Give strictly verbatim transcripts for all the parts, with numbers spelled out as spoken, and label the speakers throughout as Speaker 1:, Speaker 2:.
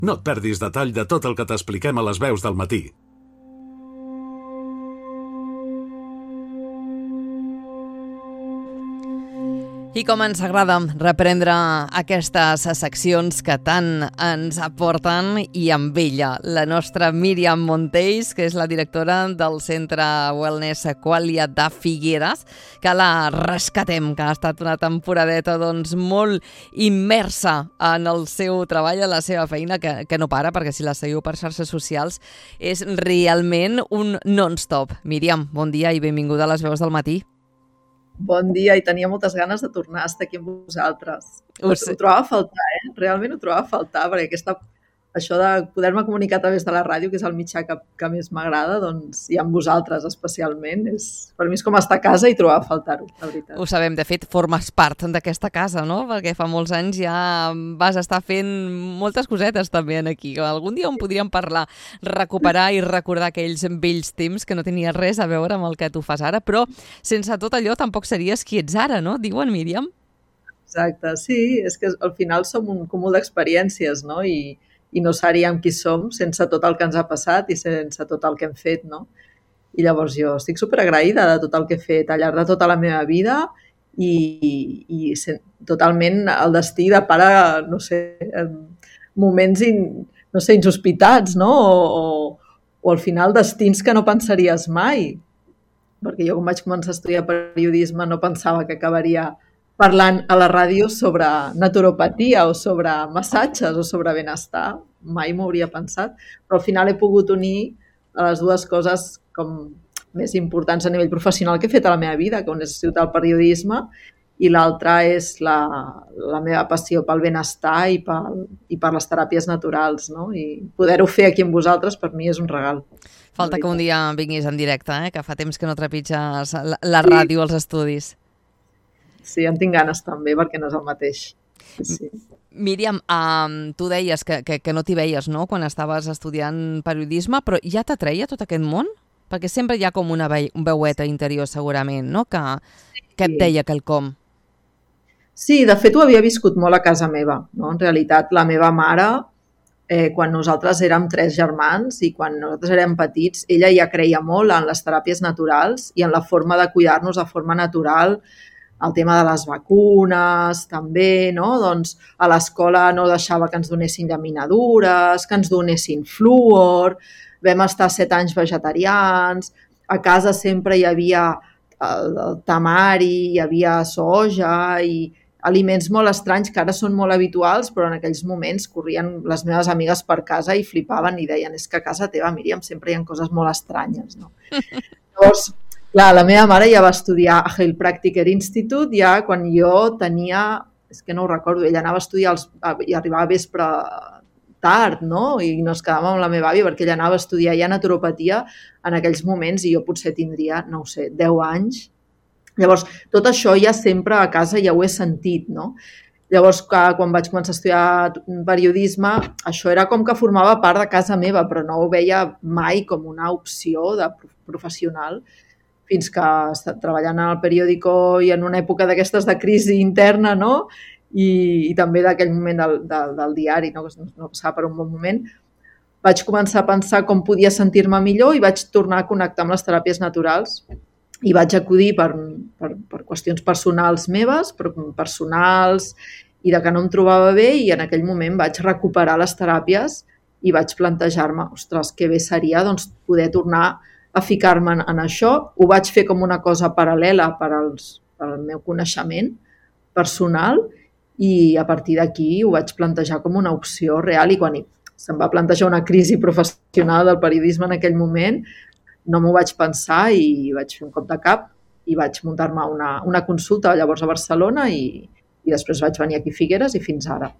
Speaker 1: No et perdis detall de tot el que t'expliquem a les veus del matí.
Speaker 2: I com ens agrada reprendre aquestes seccions que tant ens aporten, i amb ella la nostra Míriam Montells, que és la directora del Centre Wellness Qualia de Figueres, que la rescatem, que ha estat una temporadeta doncs, molt immersa en el seu treball, en la seva feina, que, que no para, perquè si la seguiu per xarxes socials és realment un non-stop. Míriam, bon dia i benvinguda a les veus del matí.
Speaker 3: Bon dia, i tenia moltes ganes de tornar a estar aquí amb vosaltres. Ho, ho trobava a faltar, eh? Realment ho trobava a faltar, perquè aquesta, això de poder-me comunicar a través de la ràdio, que és el mitjà que, que més m'agrada, doncs, i amb vosaltres especialment, és, per mi és com estar a casa i trobar a faltar-ho, la veritat.
Speaker 2: Ho sabem, de fet, formes part d'aquesta casa, no? Perquè fa molts anys ja vas estar fent moltes cosetes també aquí. Algun dia on podríem parlar, recuperar i recordar aquells vells temps que no tenia res a veure amb el que tu fas ara, però sense tot allò tampoc series qui ets ara, no? Diuen, Míriam?
Speaker 3: Exacte, sí, és que al final som un cúmul d'experiències, no? I i no seríem qui som sense tot el que ens ha passat i sense tot el que hem fet, no? I llavors jo estic superagraïda de tot el que he fet al llarg de tota la meva vida i, i totalment el destí de pare, no sé, moments in, no sé, insospitats, no? O, o, o al final destins que no pensaries mai. Perquè jo quan vaig començar a estudiar periodisme no pensava que acabaria parlant a la ràdio sobre naturopatia o sobre massatges o sobre benestar. Mai m'ho hauria pensat, però al final he pogut unir les dues coses com més importants a nivell professional que he fet a la meva vida, que una és el periodisme i l'altra és la, la meva passió pel benestar i, pel, i per les teràpies naturals, no? I poder-ho fer aquí amb vosaltres per mi és un regal.
Speaker 2: Falta que un dia vinguis en directe, eh? Que fa temps que no trepitges la, la ràdio als estudis.
Speaker 3: Sí, en tinc ganes també, perquè no és el mateix. Sí.
Speaker 2: Míriam, um, tu deies que, que, que no t'hi veies, no?, quan estaves estudiant periodisme, però ja t'atreia tot aquest món? Perquè sempre hi ha com una ve veueta interior, segurament, no?, que, que et deia quelcom.
Speaker 3: Sí, de fet ho havia viscut molt a casa meva, no? En realitat, la meva mare, eh, quan nosaltres érem tres germans i quan nosaltres érem petits, ella ja creia molt en les teràpies naturals i en la forma de cuidar-nos de forma natural, el tema de les vacunes, també, no? Doncs a l'escola no deixava que ens donessin llaminadures, que ens donessin fluor, vam estar set anys vegetarians, a casa sempre hi havia el, el tamari, hi havia soja i aliments molt estranys que ara són molt habituals, però en aquells moments corrien les meves amigues per casa i flipaven i deien, és que a casa teva, Míriam, sempre hi ha coses molt estranyes, no? Llavors, clar, la meva mare ja va estudiar a Heilpraktiker Institute ja quan jo tenia, és que no ho recordo, ella anava a estudiar els, i arribava a vespre tard, no? I nos quedàvem amb la meva àvia perquè ella anava a estudiar ja naturopatia en aquells moments i jo potser tindria, no ho sé, deu anys. Llavors, tot això ja sempre a casa ja ho he sentit, no? Llavors, quan vaig començar a estudiar periodisme, això era com que formava part de casa meva, però no ho veia mai com una opció de professional, fins que treballant al periòdico i en una època d'aquestes de crisi interna, no? I, i també d'aquell moment del, del, del diari, no? Que no passava per un bon moment, vaig començar a pensar com podia sentir-me millor i vaig tornar a connectar amb les teràpies naturals i vaig acudir per, per, per qüestions personals meves, personals i de que no em trobava bé, i en aquell moment vaig recuperar les teràpies i vaig plantejar-me, ostres, que bé seria doncs, poder tornar a ficar-me en, en això. Ho vaig fer com una cosa paral·lela per, als, per al meu coneixement personal i a partir d'aquí ho vaig plantejar com una opció real, i quan se'm va plantejar una crisi professional del periodisme en aquell moment no m'ho vaig pensar i vaig fer un cop de cap i vaig muntar-me una, una consulta llavors a Barcelona i, i després vaig venir aquí a Figueres i fins ara.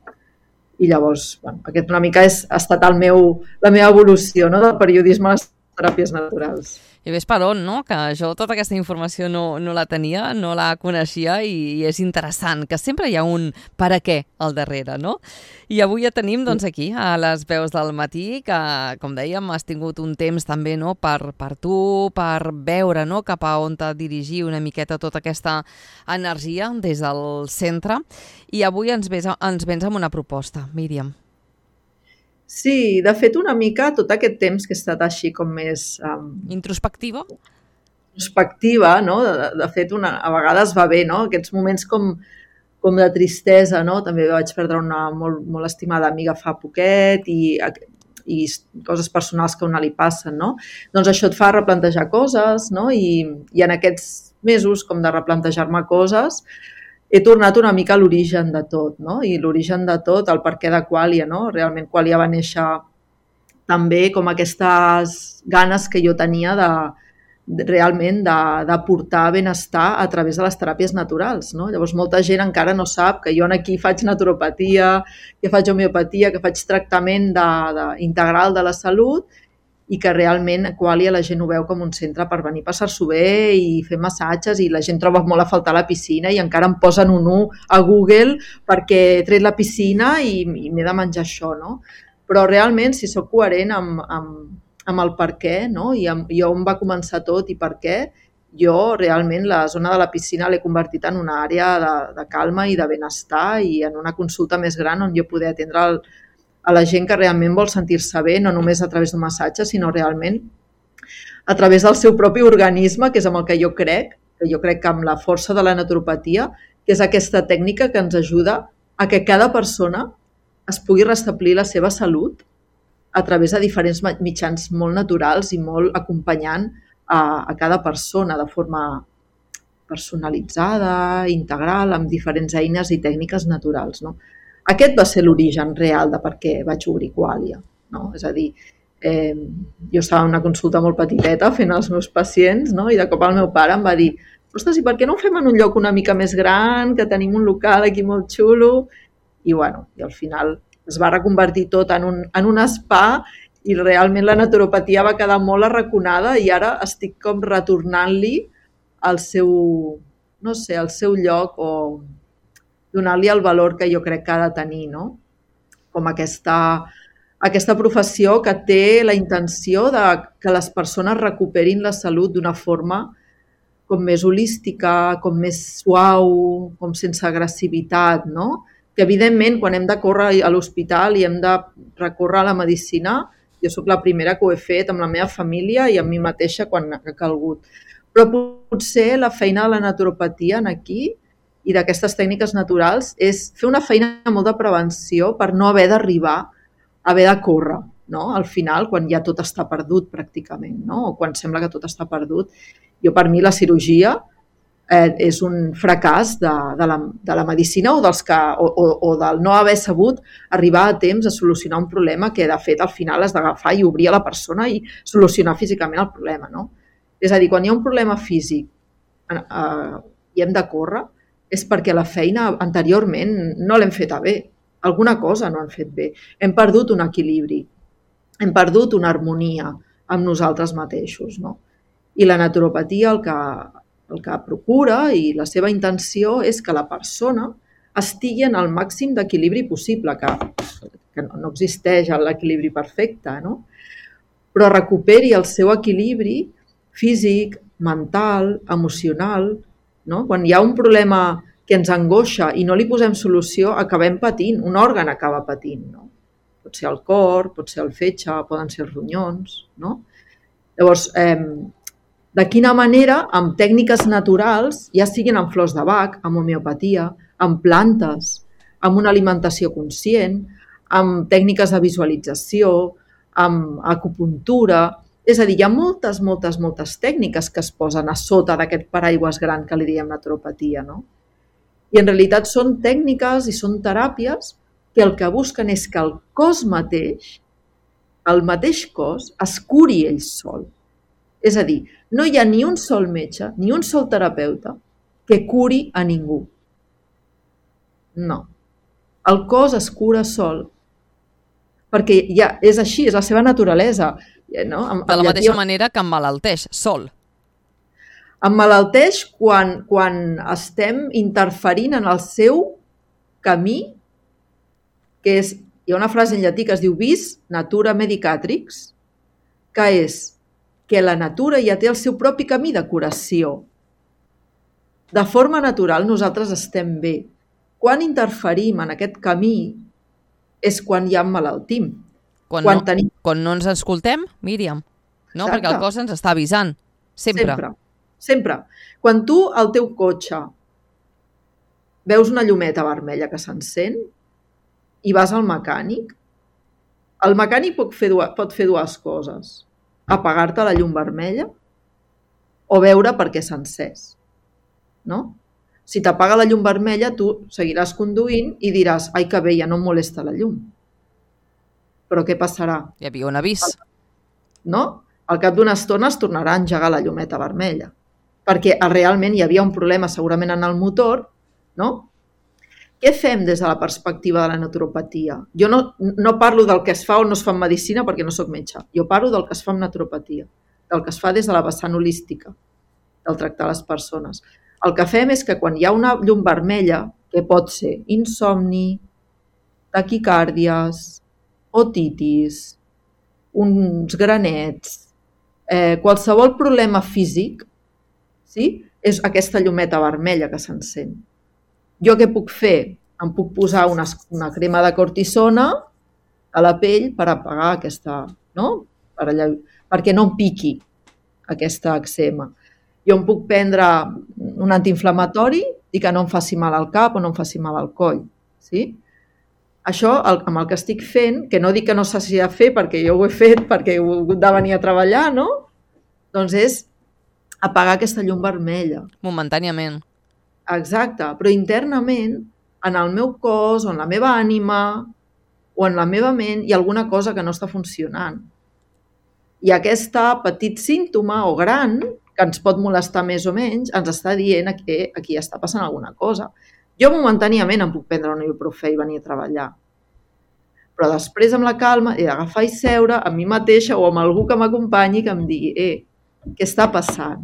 Speaker 3: I llavors, bueno, aquest una mica és, ha estat el meu, la meva evolució, no?, del periodisme a les teràpies naturals.
Speaker 2: I ves per on, no? Que jo tota aquesta informació no, no la tenia, no la coneixia i, i és interessant, que sempre hi ha un per a què al darrere, no? I avui ja tenim, doncs, aquí, a les veus del matí, que, com dèiem, has tingut un temps també, no?, per, per tu, per veure, no?, cap a on t'ha dirigir una miqueta tota aquesta energia des del centre. I avui ens, ves, ens vens amb una proposta, Míriam.
Speaker 3: Sí, de fet, una mica tot aquest temps que he estat així com més um,
Speaker 2: Introspectiva?
Speaker 3: introspectiva, no? De, de fet, una, a vegades va bé, no? Aquests moments com, com de tristesa, no? També vaig perdre una molt, molt estimada amiga fa poquet i, i coses personals que a una li passen, no? Doncs això et fa replantejar coses, no? I, i en aquests mesos com de replantejar-me coses he tornat una mica a l'origen de tot, no? I l'origen de tot, el perquè de Qualia, no? Realment Qualia va néixer també com aquestes ganes que jo tenia de, de realment d'aportar benestar a través de les teràpies naturals, no? Llavors molta gent encara no sap que jo aquí faig naturopatia, que faig homeopatia, que faig tractament de, de, integral de la salut i que realment a Qualia la gent ho veu com un centre per venir a passar-s'ho bé i fer massatges i la gent troba molt a faltar la piscina i encara em posen un u a Google perquè he tret la piscina i, i m'he de menjar això, no? Però realment, si sóc coherent amb, amb, amb el per què, no? I, amb, i on va començar tot i per què, jo realment la zona de la piscina l'he convertit en una àrea de, de calma i de benestar i en una consulta més gran on jo poder atendre el, a la gent que realment vol sentir-se bé, no només a través d'un massatge, sinó realment a través del seu propi organisme, que és amb el que jo crec, que jo crec que amb la força de la naturopatia, que és aquesta tècnica que ens ajuda a que cada persona es pugui restablir la seva salut a través de diferents mitjans molt naturals i molt acompanyant a, a cada persona de forma personalitzada, integral, amb diferents eines i tècniques naturals, no? Aquest va ser l'origen real de per què vaig obrir Qualia, no? És a dir, eh, jo estava en una consulta molt petiteta fent els meus pacients, no? I de cop el meu pare em va dir ostres, i per què no ho fem en un lloc una mica més gran, que tenim un local aquí molt xulo? I bueno, i al final es va reconvertir tot en un, en un spa i realment la naturopatia va quedar molt arraconada i ara estic com retornant-li al seu, no sé, al seu lloc o donar-li el valor que jo crec que ha de tenir, no? Com aquesta, aquesta professió que té la intenció de que les persones recuperin la salut d'una forma com més holística, com més suau, com sense agressivitat, no? Que evidentment quan hem de córrer a l'hospital i hem de recórrer a la medicina, jo sóc la primera que ho he fet amb la meva família i amb mi mateixa quan ha calgut. Però potser la feina de la naturopatia aquí i d'aquestes tècniques naturals és fer una feina molt de prevenció per no haver d'arribar a haver de córrer, no? Al final, quan ja tot està perdut pràcticament, no? O quan sembla que tot està perdut. Jo, per mi, la cirurgia eh, és un fracàs de, de, la, de la medicina o, dels que, o, o, o del no haver sabut arribar a temps a solucionar un problema que, de fet, al final has d'agafar i obrir a la persona i solucionar físicament el problema, no? És a dir, quan hi ha un problema físic eh, i hem de córrer, és perquè la feina anteriorment no l'hem feta bé. Alguna cosa no hem fet bé. Hem perdut un equilibri, hem perdut una harmonia amb nosaltres mateixos, no? I la naturopatia el que, el que procura i la seva intenció és que la persona estigui en el màxim d'equilibri possible, que, que no existeix l'equilibri perfecte, no? Però recuperi el seu equilibri físic, mental, emocional, no? Quan hi ha un problema que ens angoixa i no li posem solució, acabem patint, un òrgan acaba patint, no? Pot ser el cor, pot ser el fetge, poden ser els ronyons, no? Llavors, eh, de quina manera, amb tècniques naturals, ja siguin amb flors de Bach, amb homeopatia, amb plantes, amb una alimentació conscient, amb tècniques de visualització, amb acupuntura. És a dir, hi ha moltes, moltes, moltes tècniques que es posen a sota d'aquest paraigües gran que li diem naturopatia, no? I en realitat són tècniques i són teràpies que el que busquen és que el cos mateix, el mateix cos, es curi ell sol. És a dir, no hi ha ni un sol metge, ni un sol terapeuta que curi a ningú. No. El cos es cura sol. Perquè ja és així, és la seva naturalesa. No?
Speaker 2: De la mateixa manera que emmalalteix, sol.
Speaker 3: Emmalalteix quan, quan estem interferint en el seu camí, que és, hi ha una frase en llatí que es diu vis natura medicatrix, que és que la natura ja té el seu propi camí de curació. De forma natural nosaltres estem bé. Quan interferim en aquest camí és quan ja emmalaltim.
Speaker 2: Quan, quan, no, tenim... quan no ens escoltem, Míriam, no? Exacte. Perquè el cos ens està avisant, sempre.
Speaker 3: Sempre, sempre. Quan tu, al teu cotxe, veus una llumeta vermella que s'encén i vas al mecànic, el mecànic pot fer, dues, pot fer dues coses. Apagar-te la llum vermella o veure per què s'ha encès. No? Si t'apaga la llum vermella, tu seguiràs conduint i diràs, ai, que bé, ja no em molesta la llum. Però què passarà?
Speaker 2: Hi havia un avís.
Speaker 3: No? Al cap d'una estona es tornarà a engegar la llumeta vermella. Perquè realment hi havia un problema segurament en el motor, no? Què fem des de la perspectiva de la naturopatia? Jo no, no parlo del que es fa o no es fa en medicina perquè no sóc metge. Jo parlo del que es fa en naturopatia, del que es fa des de la vessant holística, del tractar les persones. El que fem és que quan hi ha una llum vermella, que pot ser insomni, taquicàrdies, otitis, uns granets, eh, qualsevol problema físic, sí? És aquesta llumeta vermella que s'encén. Jo què puc fer? Em puc posar una, una crema de cortisona a la pell per apagar aquesta, no? Per allà, perquè no em piqui aquesta eczema. Jo em puc prendre un antiinflamatori i que no em faci mal al cap o no em faci mal al coll. Sí? Això, el, amb el que estic fent, que no dic que no s'hagi de fer perquè jo ho he fet, perquè he hagut de venir a treballar, no? Doncs és apagar aquesta llum vermella.
Speaker 2: Momentàniament.
Speaker 3: Exacte, però internament, en el meu cos, o en la meva ànima, o en la meva ment, hi ha alguna cosa que no està funcionant. I aquest petit símptoma, o gran, que ens pot molestar més o menys, ens està dient que aquí està passant alguna cosa. Jo momentàniament em puc prendre un ibuprofè i venir a treballar. Però després, amb la calma, he d'agafar i seure amb mi mateixa o amb algú que m'acompanyi que em digui, eh, què està passant?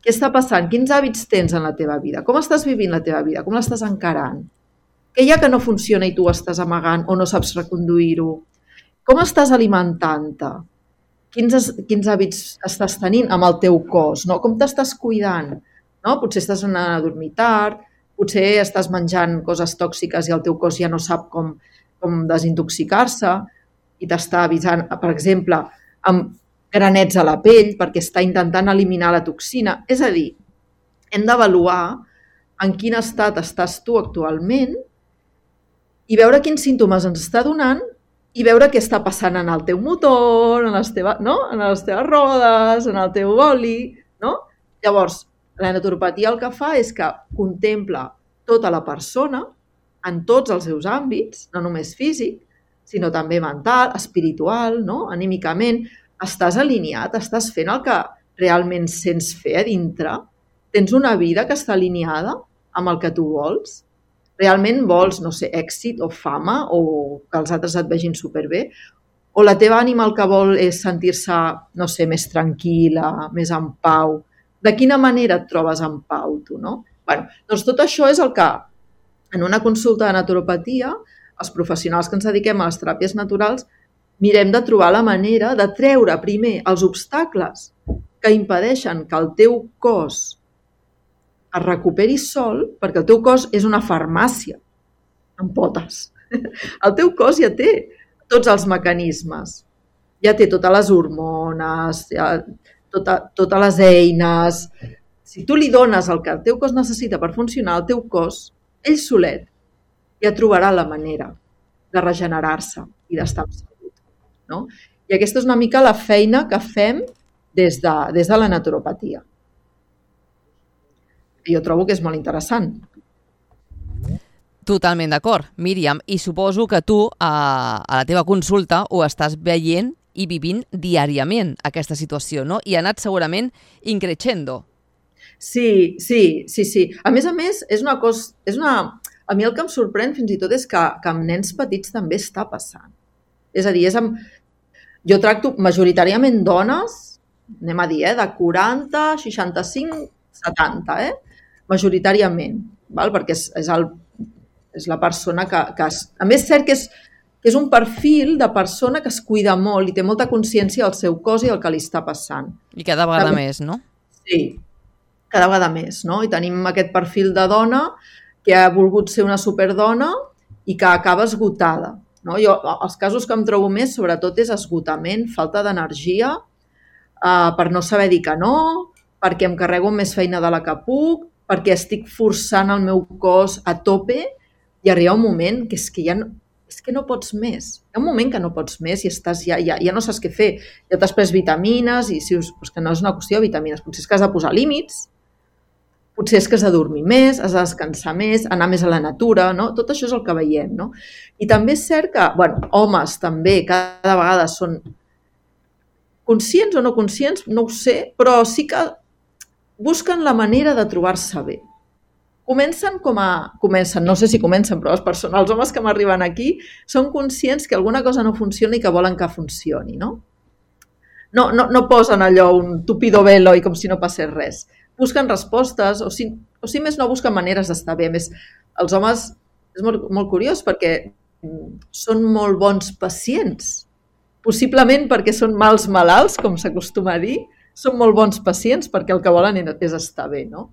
Speaker 3: Què està passant? Quins hàbits tens en la teva vida? Com estàs vivint la teva vida? Com l'estàs encarant? Què hi ha que no funciona i tu estàs amagant o no saps reconduir-ho? Com estàs alimentant-te? Quins, quins hàbits estàs tenint amb el teu cos? No? Com t'estàs cuidant? No? Potser estàs anant a dormir tard, potser estàs menjant coses tòxiques i el teu cos ja no sap com, com desintoxicar-se i t'està avisant, per exemple, amb granets a la pell perquè està intentant eliminar la toxina. És a dir, hem d'avaluar en quin estat estàs tu actualment i veure quins símptomes ens està donant i veure què està passant en el teu motor, en les teves, no? en les teves rodes, en el teu boli. No? Llavors, la naturopatia el que fa és que contempla tota la persona en tots els seus àmbits, no només físic, sinó també mental, espiritual, no? Anímicament. Estàs alineat? Estàs fent el que realment sents fer a dintre? Tens una vida que està alineada amb el que tu vols? Realment vols, no sé, èxit o fama o que els altres et vegin superbé? O la teva ànima el que vol és sentir-se, no sé, més tranquil·la, més en pau? De quina manera et trobes en pau, tu, no? Bueno, doncs tot això és el que en una consulta de naturopatia, els professionals que ens dediquem a les teràpies naturals mirem de trobar la manera de treure primer els obstacles que impedeixen que el teu cos es recuperi sol, perquè el teu cos és una farmàcia amb potes. El teu cos ja té tots els mecanismes, ja té totes les hormones, ja, tota, totes les eines. Si tu li dones el que el teu cos necessita per funcionar, el teu cos, ell solet, ja trobarà la manera de regenerar-se i d'estar amb salut. No? I aquesta és una mica la feina que fem des de, des de la naturopatia. Jo trobo que és molt interessant.
Speaker 2: Totalment d'acord, Míriam. I suposo que tu a, a la teva consulta ho estàs veient i vivint diàriament, aquesta situació, no? I ha anat segurament increixendo.
Speaker 3: Sí, sí, sí, sí. A més a més, és una cosa... És una... A mi el que em sorprèn fins i tot és que, que amb nens petits també està passant. És a dir, és amb... jo tracto majoritàriament dones, anem a dir, eh, de quaranta, seixanta-cinc, setanta, eh? Majoritàriament, val? Perquè és, és, el, és la persona que... que es... A més, és cert que és, que és un perfil de persona que es cuida molt i té molta consciència del seu cos i del que li està passant.
Speaker 2: I cada vegada també, més, no?
Speaker 3: Sí, cada vegada més, no? I tenim aquest perfil de dona que ha volgut ser una superdona i que acaba esgotada. no? Jo, els casos que em trobo més, sobretot, és esgotament, falta d'energia, eh, per no saber dir que no, perquè em carrego més feina de la que puc, perquè estic forçant el meu cos a tope i arriba un moment que és que ja no, és que no pots més. Hi ha un moment que no pots més i estàs ja, ja, ja no saps què fer. Ja t'has pres vitamines i si us, doncs que no és una qüestió de vitamines, potser és que has de posar límits, potser és que has de dormir més, has de descansar més, anar més a la natura, no? Tot això és el que veiem, no? I també és cert que, bueno, homes també cada vegada són conscients o no conscients, no ho sé, però sí que busquen la manera de trobar-se bé. Comencen com a... Comencen, no sé si comencen, però les persones, els homes que m'arriben aquí són conscients que alguna cosa no funciona i que volen que funcioni, no? No, no, no posen allò un tupido velo i com si no passés res. Busquen respostes, o si, o si més no busquen maneres d'estar bé. A més, els homes, és molt, molt curiós perquè són molt bons pacients. Possiblement perquè són mals malalts, com s'acostuma a dir, són molt bons pacients perquè el que volen és estar bé, no?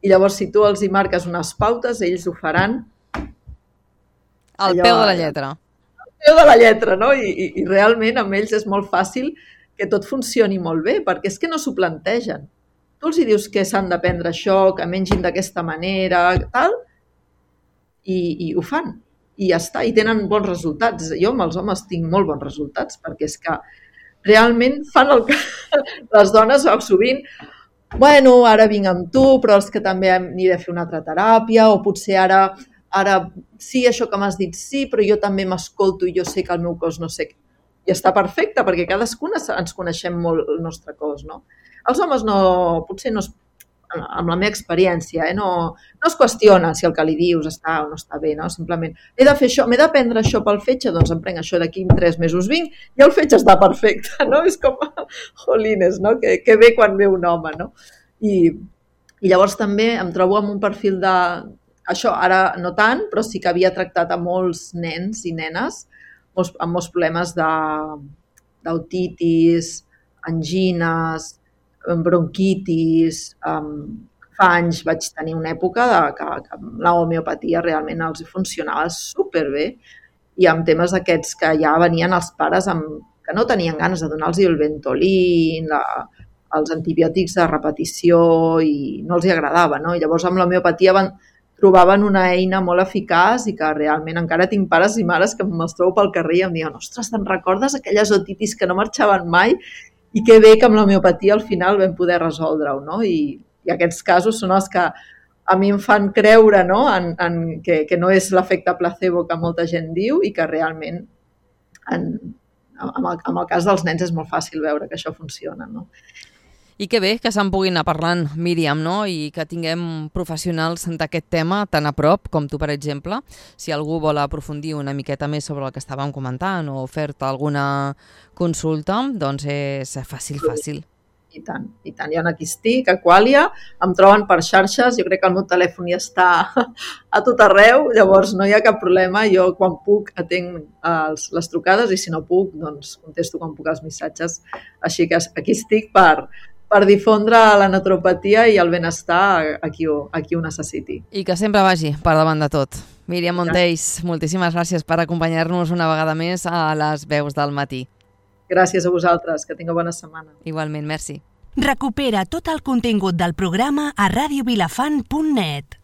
Speaker 3: I llavors, si tu els hi marques unes pautes, ells ho faran...
Speaker 2: Al peu de la lletra.
Speaker 3: Al peu de la lletra, no? I, i, i realment amb ells és molt fàcil que tot funcioni molt bé, perquè és que no s'ho plantegen. Tu els hi dius que s'han de prendre això, que mengin d'aquesta manera, tal, i, i ho fan. I ja està, i tenen bons resultats. Jo amb els homes tinc molt bons resultats, perquè és que realment fan el que les dones sovint... Bueno, ara vinc amb tu, però els que també n'hi de fer una altra teràpia, o potser ara, ara sí, això que m'has dit sí, però jo també m'escolto i jo sé que el meu cos no sé... I està perfecte, perquè cadascuna ens coneixem molt el nostre cos, no? Els homes no, potser no es, amb la meva experiència, eh, no, no es qüestiona si el que li dius està o no està bé, no? Simplement, he de fer això, m'he de prendre això pel fetge, doncs em prenc això d'aquí tres mesos vinc i el fetge està perfecte, no? És com, jolines, no? Que, que bé quan ve un home, no? I, i llavors també em trobo amb un perfil de... Això ara no tant, però sí que havia tractat a molts nens i nenes molts, amb molts problemes d'autitis, angines, bronquitis, um, fa anys vaig tenir una època de, que, que la homeopatia realment els funcionava superbé i amb temes aquests que ja venien els pares amb, que no tenien ganes de donar-los el Ventolin, la, els antibiòtics de repetició i no els hi agradava, no? I llavors amb l'homeopatia van, trobaven una eina molt eficaç i que realment encara tinc pares i mares que me'ls trobo pel carrer i em diuen ostres, te'n recordes aquelles otitis que no marxaven mai? I que bé que amb l'homeopatia al final vam poder resoldre-ho, no? I, i aquests casos són els que a mi em fan creure, no? en, en, que, que no és l'efecte placebo que molta gent diu i que realment en, en, el, en el cas dels nens és molt fàcil veure que això funciona, no?
Speaker 2: I que bé que se'n puguin anar parlant, Míriam, no? I que tinguem professionals d'aquest tema tan a prop, com tu, per exemple. Si algú vol aprofundir una miqueta més sobre el que estàvem comentant o fer-te alguna consulta, doncs és fàcil, fàcil.
Speaker 3: I tant, i tant. Jo aquí estic, a Qualia, em troben per xarxes, jo crec que el meu telèfon ja està a tot arreu, llavors no hi ha cap problema, jo quan puc atenc els, les trucades i si no puc, doncs contesto quan puc els missatges. Així que aquí estic per... per difondre la naturopatia i el benestar a qui ho, a qui ho necessiti.
Speaker 2: I que sempre vagi per davant de tot. Míriam Monteys, moltíssimes gràcies per acompanyar-nos una vegada més a les Veus del Matí.
Speaker 3: Gràcies a vosaltres, que tingueu bona setmana.
Speaker 2: Igualment, merci.
Speaker 4: Recupera tot el contingut del programa a radio vilafant punt net.